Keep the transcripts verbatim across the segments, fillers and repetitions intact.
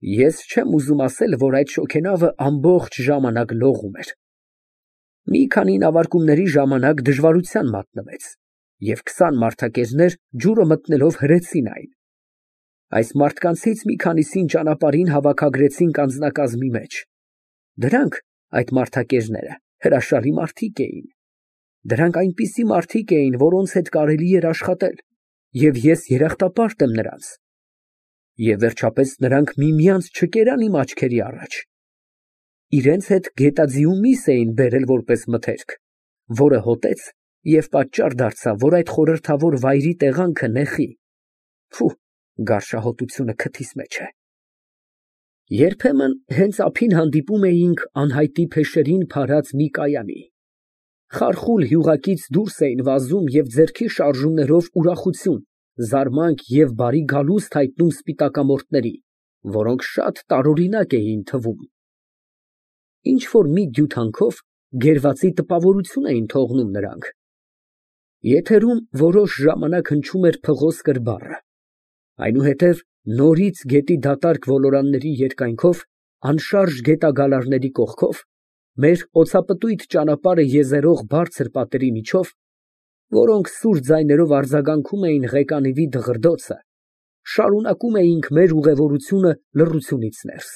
Ես չեմ ուզում ասել, որ այդ շոգենավը ամբողջ ժամանակ լողում էր։ Մի քանի նավարկումների ժամանակ դժվարության մատնվեց, և քսան մարդակերներ ջուրը մտնելով հրեցին այն։ Այս մարդկանցից մի քանիսին ճանապարհին հավաքագրեցինք անձնակազմի մեջ։ Դրանք, այդ մարդակերները, հրաշալի մարդիկ էին։ Դրանք այնպիսի մարդիկ էին, որոնց հետ կարելի էր աշխատել, և ես երախտապարտ եմ նրանց։ Եվ վերջապես նրանք միմյանց չկերան իմ աչքերի առաջ։ Իրենց հետ գետաձիու միս էին բերել որպես մթերք, որը հոտեց և պատճառ դարձավ, որ այդ խորհրդավոր վայրի տեղանքը նեխի։ Փո, գարշահոտությունը քթիս մեջ է։ Երբեմն հենց ափին հանդիպում էինք անհայտի փեշերին փարած մի կայանի։ Խարխուլ յուղակից դուրս էին վազում և ձեռքի շարժումներով ուրախություն, զարմանք և բարի գալուստ հայտնում սպիտակամորթների, որոնք շատ տարօրինակ էին թվում։ Ինչ֊որ մի դյութանքով գերվածի տպավորություն էին թողնում նրանք։ Եթերում որոշ ժամանակ հնչում էր փղոսկր բառը, այնուհետև նորից գետի դատարկ ոլորանների երկայնքով, անշարժ գետագալարների կողքով, մեր օծապտույտ ճանապարհը եզերող բարձր պատերի միջով, որոնք սուր ձայներով արձագանքում էին ղեկանիվի դղրդոցը, շարունակում էինք մեր ուղևորությունը լռությունից ներս։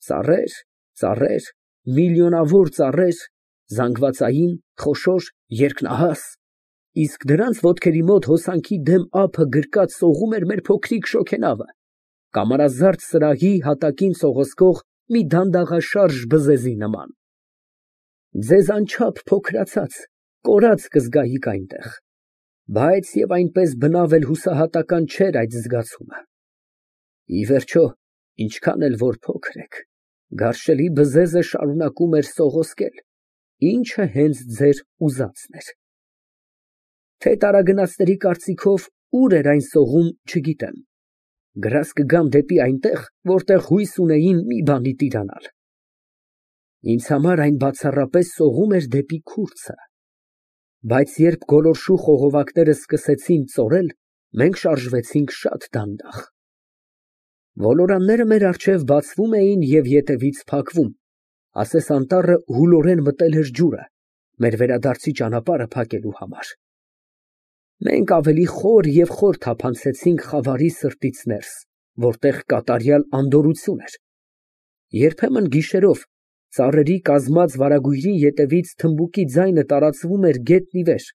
Ծառեր, ծառեր, միլիոնավոր ծառեր, զանգվածային, խոշոր, երկնահաս, իսկ դրանց ոտքերի մոտ հոսանքի դեմ ափը գրկած սողում էր մեր փոքրիկ շոգենավը, կամարազարդ սրահի հատակին սողոսկող մի դանդաղաշարժ բզեզի նման։ Ձեզ անչափ փոքրացած, կորած կզգայիք այնտեղ, բայց և այնպես բնավ էլ հուսահատական չէր այդ զգացումը։ Ի վերջո, ինչքան էլ որ փոքր եք, գարշելի բզեզը շարունակում էր սողոսկել, ինչը հենց ձեր ուզածն էր։ Թե տարագնացների կարծիքով ուր էր այն սողում, չգիտեմ, գրազ կգամ դեպի այնտեղ, որտեղ հույս ունեին մի բանի տիրանալ։ Ինձ համար այն բացառապես սողում էր դեպի քուրձը, բայց երբ գոլորշու խողովակները սկսեցին ծորել, մենք շարժվեցինք շատ դանդաղ։ Ոլորանները մեր առջև բացվում էին և ետևից փակվում, ասես անտառը հուլորեն մտել էր ջուրը, մեր վերադարձի ճանապարհը փակելու համար։ Մենք ավելի խոր և խոր թափանցեցինք խավարի սրտից ներս, որտեղ կատարյալ անդորրություն էր։ Երբեմն գիշերով ծառերի կազմած վարագույրի ետևից թմբուկի ձայնը տարածվում էր գետնի վեր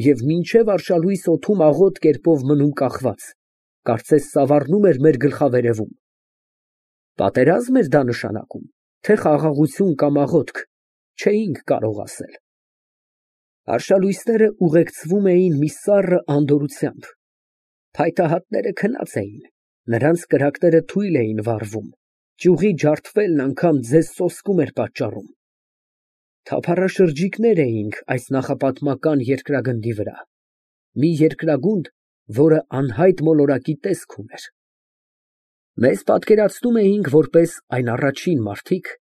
և մինչև արշալույս օդում աղոտ կերպով մնում կախված, կարծես սավառնում էր մեր գլխավերևում։ Պատերազմ էր դա նշանակում, թե խաղաղություն կամ աղոթք, չէինք կարող ասել։ Արշալույսները ուղեկցվում էին մի սառը անդորրությամբ։ Փայտահատները քնած էին, նրանց կրակները թույլ էին վառվում, ճյուղի ջարդվելն անգամ ձեզ սոսկում էր պատճառում։ Թափառաշրջիկներ էինք այս նախապատմական երկրագնդի վրա, մի երկրագունդ, որը անհայտ մոլորակի տեսք ուներ։ Մեզ պատկերացնում էինք որպես այն առաջին մարդիկ,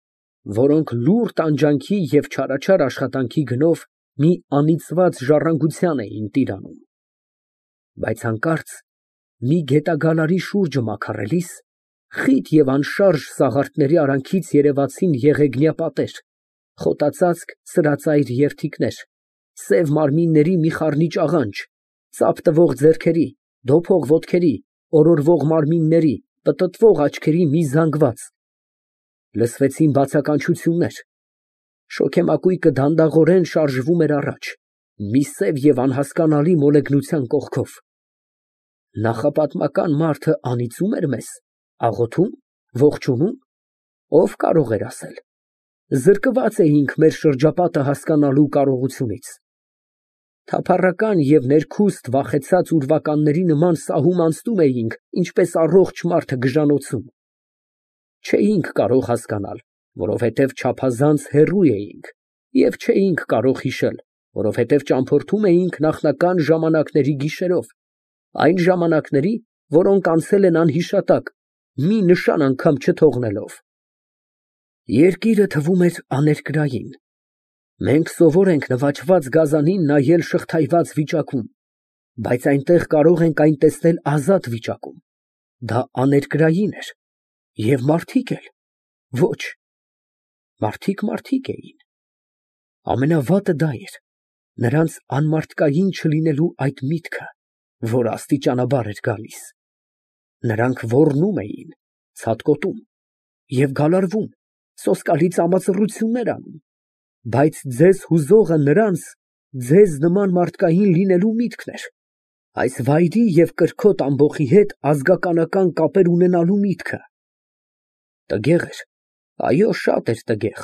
որոնք լուռ տանջանքի և չարաչար աշխատանքի գնով մի անիծված ժառանգության էին տիրանում։ Բայց հանկարծ մի գետագալարի շուրջը մաքարելիս, խիտ և անշարժ սաղարթների արանքից երևացին եղեգնյա պատեր, խոտածածկ սրածայր երդիքներ, սև մարմինների մի խառնիչ աղանջ, ծափ տվող ձեռքերի, դոփող ոտքերի, օրորվող մարմինների, պտտվող աչքերի մի զանգված։ Լսվեցին բացականչություններ։ Շոգեմակույկը դանդաղորեն շարժվում էր առաջ, մի սև և անհասկանալի մոլեգնության կողքով։ Նախապատմական մարդը անիծո՞ւմ էր մեզ, աղոթո՞ւմ, ողջունում, ով կարող էր ասել։ Զրկված էինք մեր շրջապատը հասկանալու կարողությունից։ Թափառական և ներքուստ վախեցած ուրվականների նման սահում անցնում էինք, ինչպես առողջ մարդը գժանոցում։ Չէինք կարող հասկանալ, որովհետև չափազանց հեռու էինք, և չէինք կարող հիշել, որովհետև ճամփորդում էինք նախնական ժամանակների գիշերով, այն ժամանակների, որոնք անցել են անհիշատակ, մի նշան անգամ չթողնելով։ Երկիրը թվում էր աներկրային։ Մենք սովոր ենք նվաճված գազանին նայել շղթայված վիճակում, բայց այնտեղ կարող ենք այն տեսնել ազատ վիճակում։ Դա աներկրային էր, Եվ մարդիկ էլ։ Ոչ, մարդիկ մարդիկ էին։ Ամենավատը դա էր, նրանց անմարդկային չլինելու այդ միտքը, որ աստիճանաբար էր գալիս։ Նրանք ոռնում էին, ցատկոտում և գալարվում, սոսկալի ծամացռություններ անում, բայց ձեզ հուզողը նրանց ձեզ նման մարդկային լինելու միտքն էր, այս վայրի և կրքոտ ամբոխի հետ ազգականական կապեր ունենալու միտքը։ Տգեղ էր, այո, շատ էր տգեղ,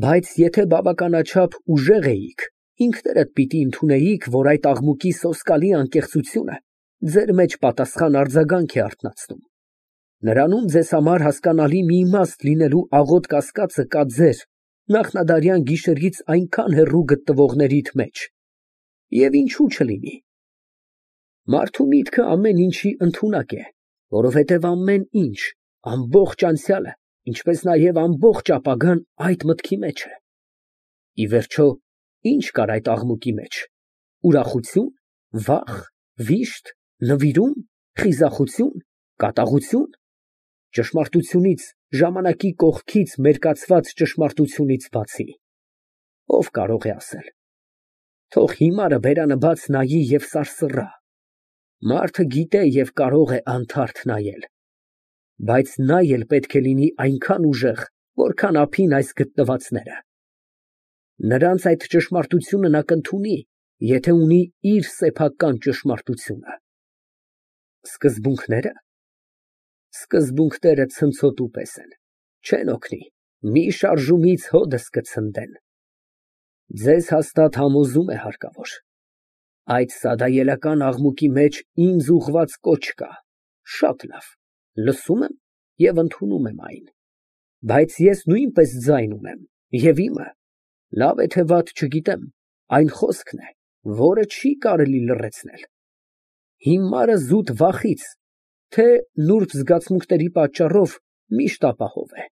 բայց եթե բավականաչափ ուժեղ էիք, ինքներդ պիտի ընդունեիք, որ այդ աղմուկի սոսկալի անկեղծությունը ձեր մեջ պատասխան արձագանք է արթնացնում։ Նրանում ձեզ համար հասկանալի մի իմաստ լինելու աղոտ կասկածը կա ձեր նախնադարյան գիշերից այնքան հեռու գտնվողներիդ մեջ։ Եվ ինչու չլինի։ Մարդու միտքը ամեն ինչի ընդունակ է, որովհետև ամեն ինչ, ամբողջ անցյալը, ինչպես նաև ամբողջ ապագան այդ մտքի մեջ է։ Ի վերջո, ինչ կար այդ աղմուկի մեջ։ Ուրախություն, վախ, վիշտ, նվիրում, խիզախություն, կատաղություն։ Ճշմարտությունից, ժամանակի կողքից մերկացված ճշմարտությունից բացի, ով կարող է ասել։ Թող հիմարը բերանը բաց նայի և սարսռա։ Մարդը գիտե և կարող է անթարթ նայել, բայց նա էլ պետք է լինի այնքան ուժեղ, որքան ափին այս գտնվածները։ Նրանց այդ ճշմարտությունը նա կընդունի, եթե ունի իր սեփական ճշմարտությունը։ Սկզբունքնե՞րը։ Սկզբունքները ցնցոտու պես են, չեն օգնի, մի շարժումից հօդս կցնդեն։ Ձեզ հաստատ համոզում է հարկավոր։ Այդ սադայելական աղմուկի մեջ ինձ ուղղված կոչ կա, շատ լավ, լսում եմ և ընդունում եմ այն, բայց ես նույնպես ձայն ունեմ, և իմը, լավ է թե վատ չգիտեմ, այն խոսքն է, որը չի կարելի լռեցնել։ Հիմարը զուտ վախից, թե նուրբ զգացմունքների պատճառով միշտ ապահով է։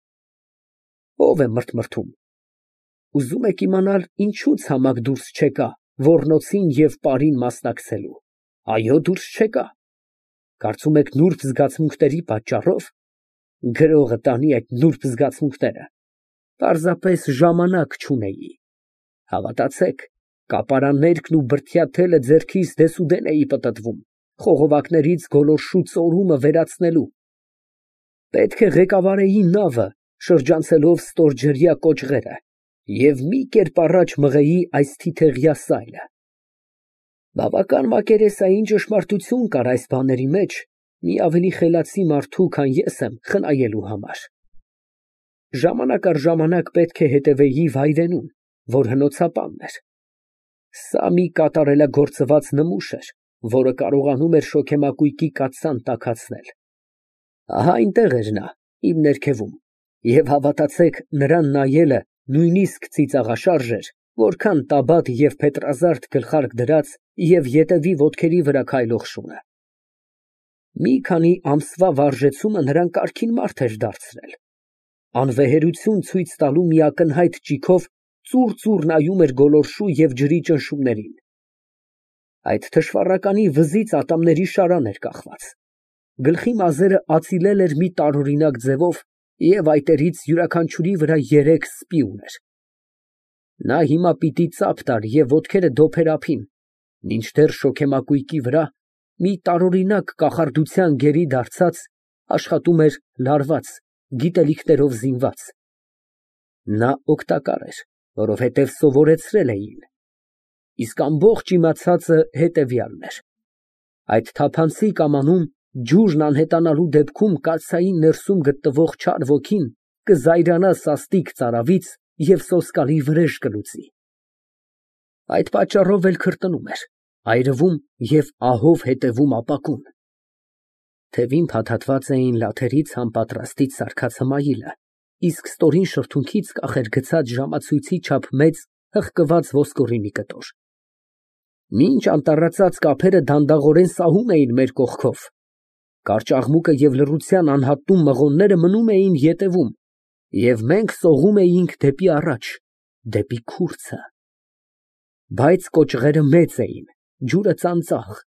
Ո՞վ է մրթմրթում։ Ուզում եք իմանալ ինչու ցամաք դուրս չեկա ոռնոցին և պարին մասնակցելու։ Այո, դուրս չեկա։ Կարծում եք նուրբ զգացմունքների պատճառո՞վ։ Գրողը տանի այդ նուրբ զգացմունքները։ Պարզապես ժամանակ չունեի։ Հավատացեք, կապարաններկն ու բրդյա թելը ձեռքիս դեսուդեն էի պտտվում, խողովակներից գոլորշու ծորումը վերացնելու։ Պետք է ղեկավարեի նավը, շրջանցելով ստորջրյա կոճղերը, և մի կերպ առաջ մղեի այս թիթեղյա սայլը։ Բավական մակերեսային ճշմարտություն կար այս բաների մեջ մի ավելի խելացի մարդու, քան ես եմ, խնայելու համար։ Ժամանակ առ ժամանակ պետք է հետևեի վայրենուն, որ հնոցապանն էր։ Սա մի կատարելագործված նմուշ էր, որը կարողանում էր շոգեմակույկի կաթսան տաքացնել։ Ահա այնտեղ էր նա, իմ ներքևում, և հավատացեք, նրան նայելը նույնիսկ ծիծաղաշարժ էր, որքան Տաբատ և Փետրազարդ գլխարկ դրած և ետևի ոտքերի վրա քայլող շունը։ Մի քանի ամսվա վարժեցումը նրան կարգին մարդ էր դարձրել։ Անվեհերություն ցույց տալու մի ակնհայտ ճիգով ծուռ֊ծուռ նայում էր գոլորշու և ջրի ճնշումներին։ Այդ թշվառականի վզից ատամների շարան էր կախված։ Գլխի մազերը ածիլել էր մի տարօրինակ ձևով և այտերից յուրաքանչյուրի վրա երեք սպի ուներ։ Նա հիմա պիտի ծափ տար և ոտքերը դոփեր ափին, մինչդեռ շոգեմակույկի վրա, մի տարօրինակ կախարդության գերի դարձած, աշխատում էր լարված, գիտելիքներով զինված։ Նա օգտակար էր, որովհետև սովորեցրել էին։ Իսկ ամբողջ իմացածը հետևյալն էր. այդ թափանցիկ ամանում ջուրն անհետանալու դեպքում կացայի ներսում գտնվող չար ոգին կզայրանա սաստիկ ծարավից և սոսկալի վրեժ կլուծի։ Այդ պատճառով էլ քրտնում էր, այրվում և ահով հետևում ապակուն։ Թևին փաթաթված էին լաթերից համապատրաստից սարքած հմայիլը, իսկ ստորին շրթունքից կախ էր գցած ժամացույցի չափ մեծ հղկված ոսկորի մի կտոր։ Մինչ անտառացած կափերը դանդաղորեն սահում էին մեր կողքով, կարճ աղմուկը և լռության անհատում մղոնները մնում էին ետևում, և մենք սողում էինք դեպի առաջ, դեպի քուրձը։ Բայց կոճղերը մեծ էին, ջուրը ծանծաղ,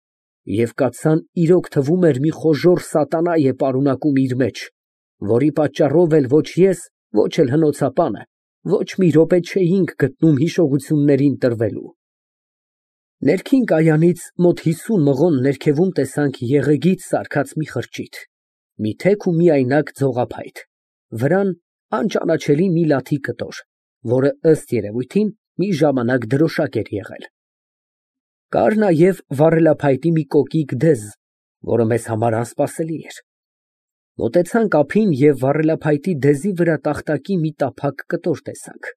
և կաթսան իրոք թվում էր մի խոժոռ սատանա է պարունակում իր մեջ, որի պատճառով էլ ոչ ես, ոչ էլ հնոցապանը ոչ մի րոպե չէինք գտնում հիշողություններին տրվելու։ Ներքին կայանից մոտ հիսուն մղոն ներքևում տեսանք եղեգից սարքած մի խրճիթ, մի թեք ու միայնակ ձողափայտ, վրան անճանաչելի մի լաթի կտոր, որը ըստ երևույթին մի ժամանակ դրոշակ էր եղել։ Կար նաև վառելափայտի մի կոկիկ դեզ, որը մեզ համար անսպասելի էր։ Մոտեցանք ափին և վառելափայտի դեզի վրա տախտակի մի տափակ կտոր տեսանք,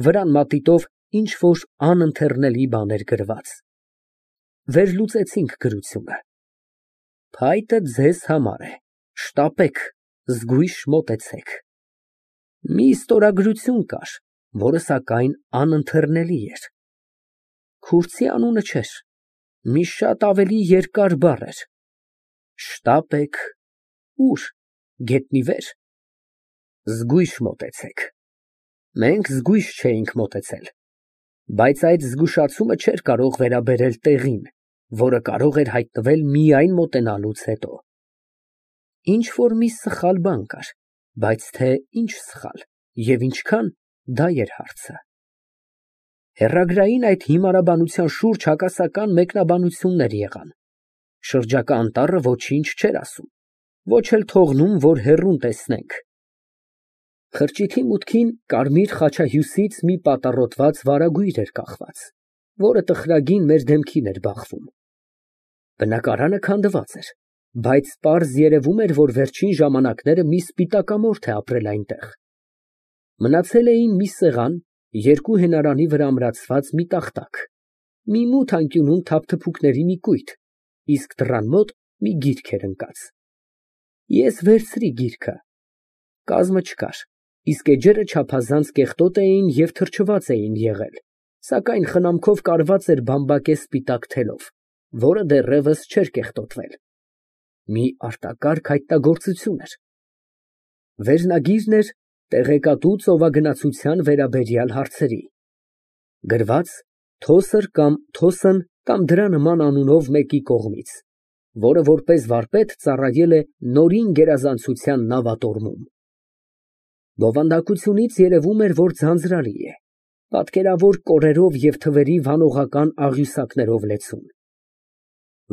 վրան մատիտով ինչ֊որ անընթեռնելի բան էր գրված։ Վերլուծեցինք գրությունը. «Փայտը ձեզ համար է, շտապեք, զգույշ մոտեցեք»։ Մի ստորագրություն կար, որը սակայն անընթեռնելի էր։ Քուրդի անունը չէր, մի շատ ավելի երկար բառ էր։ Շտապեք, ո՞ւր, գետնի վե՞ր։ Զգույշ մոտեցեք։ Մենք զգույշ չէինք մոտեցել, բայց այդ զգուշացումը չէր կարող վերաբերել տեղին, որը կարող էր հայտնվել միայն մոտենալուց հետո։ Ինչ֊որ մի սխալ բան կար, բայց թե ինչ սխալ և ինչքան, դա էր հարցը։ Հեռագրային այդ հիմարաբանության շուրջ հակասական մեկնաբանություններ եղան։ Շրջակա անտառը ոչինչ չէր ասում, ոչ էլ թողնում, որ հեռուն տեսնենք։ Խրճիթի մուտքին կարմիր խաչահյուսից մի պատառոտված վարագույր էր կախված, որը տխրագին մեր դեմքին էր բախվում։ Բնակարանը քանդված էր, բայց պարզ երևում էր, որ վերջին ժամանակները մի սպիտակամորթ է ապրել այնտեղ։ Մնացել էին մի սեղան, երկու հենարանի վրա ամրացված մի տախտակ, մի մութ անկյունում թափթփուկների մի կույտ, իսկ դռան մոտ մի գիրք էր ընկած։ Ես վերցրի գիրքը։ Կազմը չկար, իսկ էջերը չափազանց կեղտոտ էին և թրջված էին եղել, սակայն խնամքով կարված էր բամբակե սպիտակ թելով, որը դեռևս չէր կեղտոտվել։ Մի արտակարգ հայտնագործություն էր։ Վերնագիրն էր տեղեկատու ծովագնացության վերաբերյալ հարցերի։ Գրված Թոսր կամ Թոսն կամ դրա նման անունով մեկի կողմից, որը որպես վարպետ ծառայել է Նորին գերազանցության նավատորմում։ Բովանդակությունից երևում էր, որ ձանձրալի է, պատկերավոր կորերով և թվերի վանողական աղյուսակներով լեցուն։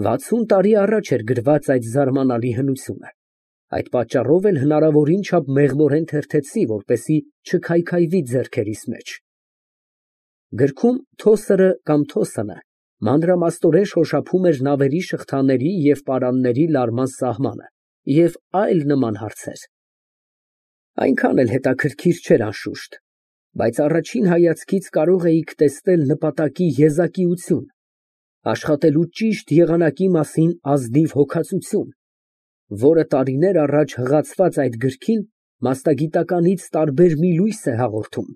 Վաթսուն տարի առաջ էր գրված այդ զարմանալի հնությունը, այդ պատճառով էլ հնարավորին չափ մեղմորեն թերթեցի, որպեսզի չքայքայվի ձեռքերիս մեջ։ Գրքում Թոսրը կամ Թոսնը մանրամասնորեն շոշափում էր նավերի շղթաների և պարանների լարման սահմանը և այլ նման հարցեր։ Այնքան էլ հետաքրքիր չէր, անշուշտ, բայց առաջին հայացքից կարող էիք տեսնել նպատակի եզակիություն, աշխատելու ճիշտ եղանակի մասին ազնիվ հոգածություն, որը տարիներ առաջ հղացված այդ գրքին մասնագիտականից տարբեր մի լույս է հաղորդում։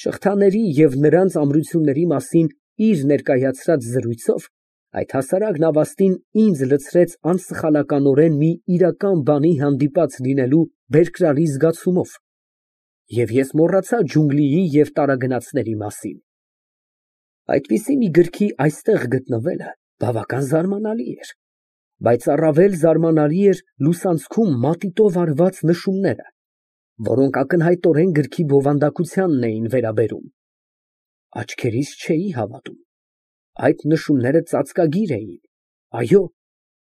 Շղթաների և նրանց ամրությունների մասին իր ներկայացրած զրույցով այդ հասարակ նավաստին ինձ լցրեց անսխալականորեն մի իրական բանի հանդիպած լինելու բերկրալի զգացումով, և ես մոռացա ջունգլիի և տարագնացների մասին։ Այդպիսի մի գրքի այստեղ գտնվելը բավական զարմանալի էր, բայց առավել զարմանալի էր լուսանցքում մատիտով արված նշումները, որոնք ակնհայտորեն գրքի բովանդակությանն էին վերաբերում։ Աչքերիս չէի հավատում։ Այդ նշումները ծածկագիր էին, այո,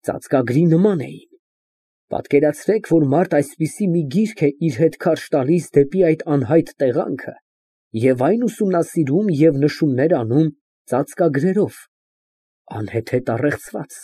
ծածկագրի նման էին։ Պատկերացրեք, որ մարդ այսպիսի մի գիրք է իր հետ քարշ տալիս դեպի այդ անհայտ տեղանքը և այն ուսումնասիրում և նշումներ անում ծածկագրերով, անհեթեթ առեղծված։